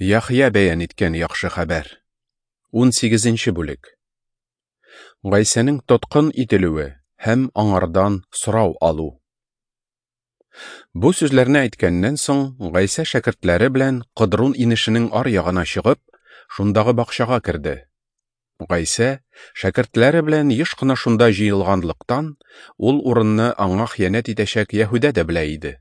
Яхъя бәян иткән яхшы хәбәр. 18 бүлек. Гайсәнең тоткын ителүе һәм аңардан сорау алу. Бу сүзләрне әйткәннән соң, Гайсә шәкертләре белән Кыдрун инешенең ар ягына чыгып, шундагы бакчага керде. Гайсә шәкертләре белән еш кына шунда җыелганлыктан, ул урынны аңа хыянәт итәчәк Яһүдә дә белә иде.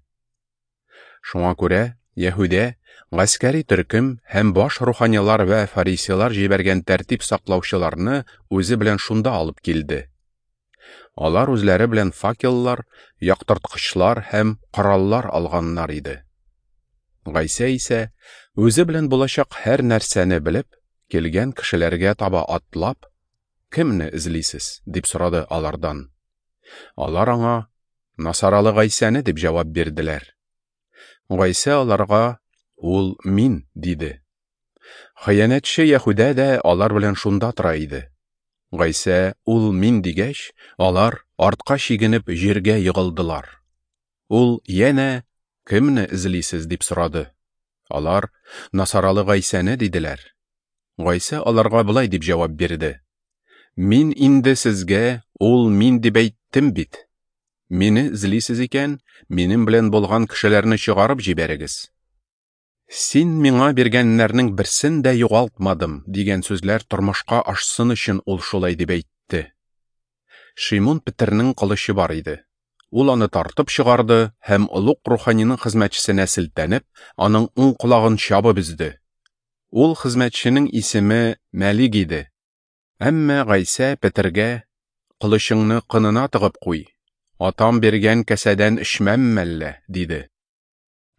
Шуңа күрә Яһүдә гаскәри төркем һәм баш руханилар вә фарисейлар җибәргән тәртип саклаучыларны үзе белән шунда алып килде. Алар үзләре белән факеллар, яктырткычлар һәм кораллар алганнар иде. Гайсә исә үзе белән булачак һәр нәрсәне белеп, килгән кешеләргә таба атлап, "Кемне эзлисез?" дип сорады алардан. Алар аңа, "Насаралы Гайсәне" дип җавап бирделәр. Гайсә аларга, "Ул мин", диде. Хыянәтче Яһүдә дә алар белән шунда тора иде. Гайсә, "Ул мин" дигәч, алар артка чигенеп җиргә егылдылар. Ул янә, "Кемне эзлисез?" дип сорады. Алар, "Насаралы Гайсәне" диделәр. Гайсә аларга болай дип җавап бирде: "Мин инде сезгә, ул мин дип әйттем бит. Мине эзлисез икән, минем белән булган кешеләрне чыгарып җибәрегез. Син миңа биргәннәрнең берсен дә югалтмадым, дигән сүзләр тормышка ашсын өчен ул шулай дип әйтте. Шимун Петернең кылычы бар иде. Ул аны тартып чыгарды һәм олуг руханиның хезмәтчесенә селтәнеп, аның уң колагын чабып өзде. Ул хезмәтченең исеме Мәлик иде. Әмма Гайсә Петергә, "Кылычыңны кынына тыгып куй. Атам биргән кәсәдән эчмәм мәллә?" диде.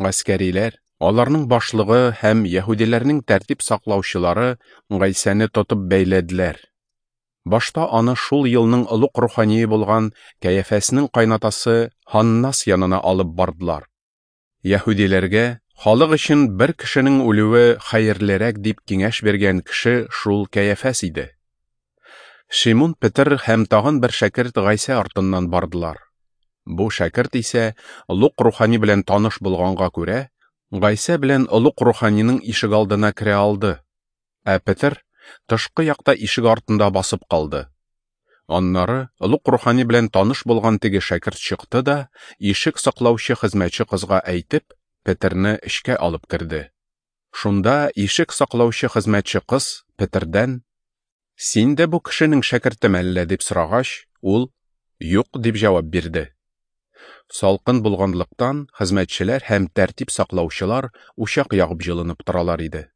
Гаскәриләр, аларның башлыгы һәм яһүдиләрнең тәртип саклаучылары Гайсәне тотып бәйләделәр. Башта аны шул елның олуг рухание булган Кәяфәснең кайнатасы Һаннас янына алып бардылар. Яһүдиләргә халык өчен бер кешенең үлүе хәерлерәк дип киңәш биргән кеше шул Кәяфәс иде. Шимун Петер һәм тагын бер шәкерт Гайсә артыннан бардылар. Бу шәкерт исә олуг рухани белән таныш булганга күрә, Гайсә белән олуг руханиның ишегалдына керә алды. Ә Петер тышкы якта ишек артында басып калды. Аннары олуг рухани белән таныш булган теге шәкерт чыкты да, ишек саклаучы хезмәтче кызга әйтеп, Петерне эчкә алып керде. Шунда ишек саклаучы хезмәтче кыз Петердән, "Син дә бу кешенең шәкерте мәллә?" дип сорагач, ул, "Юк" дип җавап бирде. Салкын булганлыктан хезмәтчеләр һәм тәртип саклаучылар учак ягып җылынып торалар иде.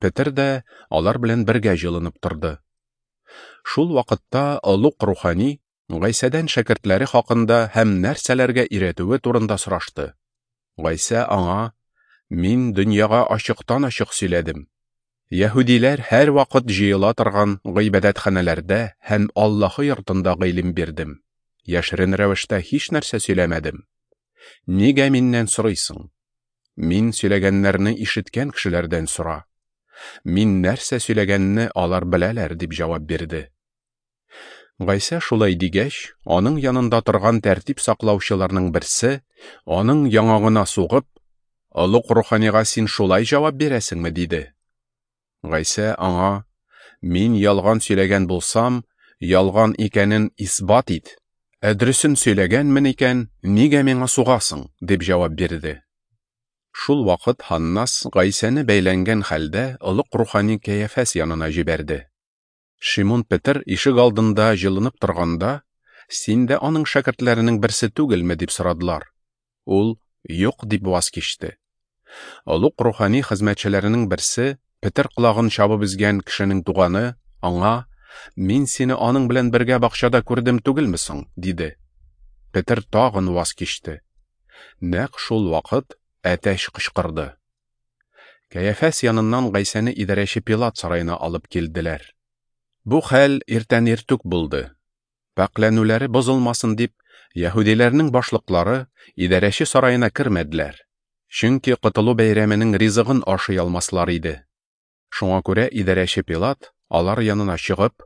Петер дә алар белән бергә җылынып торды. Шул вакытта олуг рухани Гайсәдән шәкертләре хакында һәм нәрсәләргә өйрәтүе турында сорашты. Гайсә аңа, "Мин дөньяга ачыктан-ачык сөйләдем. Яһүдиләр һәр вакыт җыела торган гыйбадәтханәләрдә һәм Аллаһы йортында гыйлем бирдем. Яшерен рәвештә һич нәрсә сөйләмәдем. Нигә миннән сорыйсың? Мин сөйләгәннәрне ишеткән кешеләрдән сора. Мин нәрсә сөйләгәнне алар беләләр, дип җавап бирде. Гайсә шулай дигәч, аның янында торган тәртип саклаучыларның берсе, аның яңагына сугып, "Олуг руханига син шулай җавап бирәсеңме?" диде. Гайсә аңа, "Мин ялган сөйләгән булсам, ялган икәнен исбат ит. Ә дөресен сөйләгәнмен икән, нигә миңа сугасың?" дип җавап бирде. Шул вакыт Һаннас Гайсәне бәйләнгән хәлдә олуг рухани Кәяфәс янына җибәрде. Шимун Петер ишек алдында җылынып торганда, "Син дә аның шәкертләренең берсе түгелме?" дип сорадылар. Ул, "Юк" дип ваз кичте. Олуг рухани хезмәтчеләренең берсе, Петер колагын чабып өзгән кешенең туганы, аңа, "Мин сине аның белән бергә бакчада күрдем түгелме соң?" диде. Петер тагын ваз кичте. Нәкъ шул вакыт әтәч кычкырды. Кәяфәс яныннан Гайсәне идарәче Пилат сараена алып килделәр. Бу хәл иртән иртүк булды. Пакьләнүләре бозылмасын дип, яһүдиләрнең башлыклары идарәче сараена кермәделәр. Чөнки котылу бәйрәменең ризыгын ашый алмаслар иде. Шуңа күрә идарәче Пилат алар янына чыгып,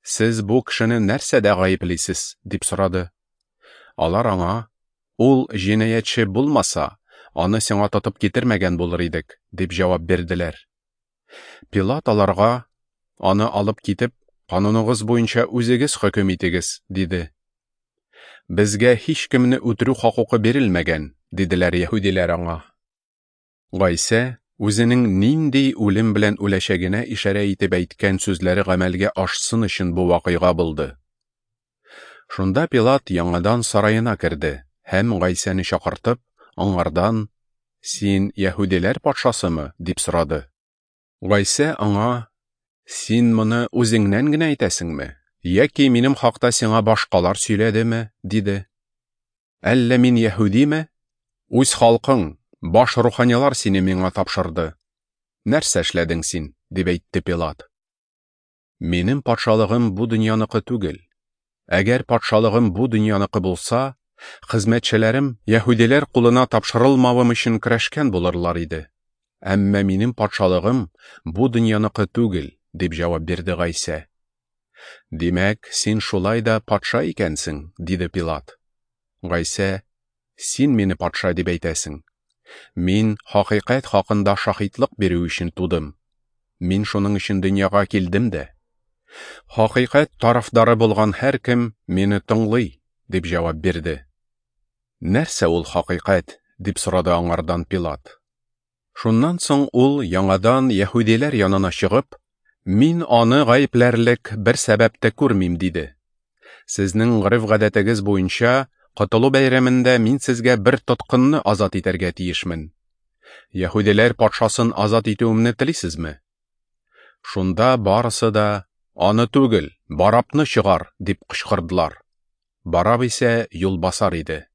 "Сез бу кешене нәрсәдә гаеплисез?" дип сорады. Алар аңа, "Ул җинаятьче булмаса, аны сиңа тотып китермәгән булыр идек, дип җавап бирделәр. Пилат аларга, Аны алып китеп, кануныгыз буенча үзегез хөкем итегез, диде. Безгә һичкемне үтерү хокукы бирелмәгән, диделәр яһүдиләр аңа. Гайсә үзенең нинди үлем белән үләчәгенә ишарә итеп әйткән сүзләре гамәлгә ашсын өчен бу вакыйга булды. Шунда Пилат яңадан сараена керде һәм Гайсәне чакыртып, аңардан: Син яһүдиләр патшасымы? дип сорады. Гайсә аңа: Син моны үзеңнән генә әйтәсеңме, яки минем хакта сиңа башкалар сөйләдеме? диде. Әллә мин яһүдиме? Үз халкың, баш руханилар сине миңа тапшырды. Нәрсә эшләдең син? дип әйтте Пилат. Минем патшалыгым бу дөньяныкы түгел. Әгәр патшалыгым бу дөньяныкы булса, хезмәтчеләрем яһүдиләр кулына тапшырылмавым өчен көрәшкән булырлар иде. Әмма минем патшалыгым бу дөньяныкы түгел, дип җавап бирде Гайсә. Димәк, син шулай да патша икәнсең, диде Пилат. Гайсә: Син мине патша дип әйтәсең. Мин хакыйкать хакында шаһитлык бирү өчен тудым. Мин шуның өчен дөньяга килдем дә. Хакыйкать тарафдары булган һәркем мине тыңлый, дип җавап бирде. Нәрсә ул хакыйкать? дип сорады аңардан Пилат. Шуннан соң ул яңадан яһүдиләр янына чыгып, Мин аны гаепләрлек бер сәбәп тә күрмим, диде. Сезнең гореф-гадәтегез буенча, Котылу бәйрәмендә мин сезгә бер тоткынны азат итәргә тиешмен. Яһүдиләр патшасын азат итүемне телисезме? Шунда барысы да, Аны түгел, Барабны чыгар, дип кычкырдылар. Бараб исә юлбасар иде.